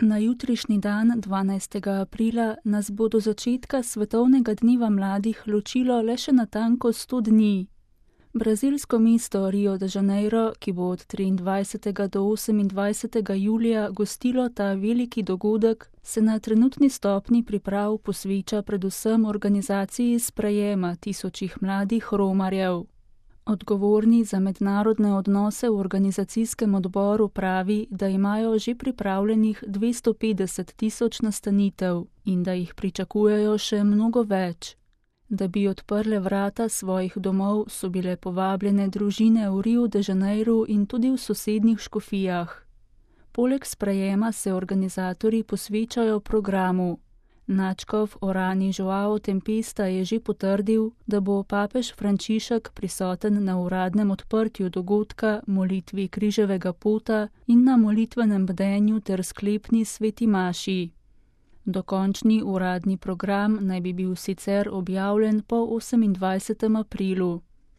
Na jutrišnji dan, 12. aprila, nas bo do začetka Svetovnega dneva mladih ločilo le še natanko 100 dni. Brazilsko mesto Rio de Janeiro, ki bo od 23. do 28. julija gostilo ta veliki dogodek, se na trenutni stopni priprav posveča predvsem organizaciji sprejema tisočih mladih romarjev. Odgovorni za mednarodne odnose v organizacijskem odboru pravi, da imajo že pripravljenih 250.000 nastanitev in da jih pričakujejo še mnogo več. Da bi odprle vrata svojih domov, so bile povabljene družine v Rio de Janeiru in tudi v sosednjih škofijah. Poleg sprejema se organizatorji posvečajo programu. Nadškof Orani Joao Tempesta je že potrdil, da bo papež Frančišek prisoten na uradnem odprtju dogodka, molitvi križevega pota in na molitvenem bdenju ter sklepni sveti maši. Dokončni uradni program naj bi bil sicer objavljen po 28. aprilu.